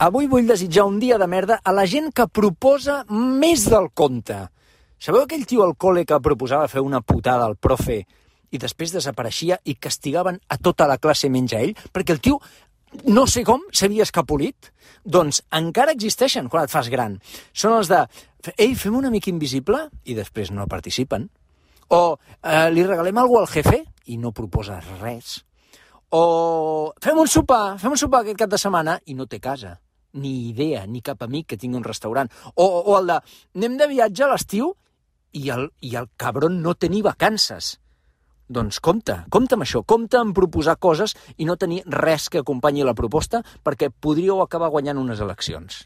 avui vull desitjar un dia de merda a la gent que proposa més del compte. Sabeu aquell tio al col·le que proposava fer una putada al profe i després desapareixia i castigaven a tota la classe menys a ell? Perquè el tio, no sé com, s'havia escapolit. Doncs encara existeixen quan et fas gran. Són els de, ei, fem un amic invisible, i després no participen. O li regalem alguna cosa al jefe i no proposes res. O fem un sopar aquest cap de setmana i no té casa, ni idea, ni cap amic que tingui un restaurant. O el de, anem de viatge a l'estiu i el cabron no té ni vacances. Doncs compte amb això, compte en proposar coses i no tenir res que acompanyi la proposta perquè podríeu acabar guanyant unes eleccions.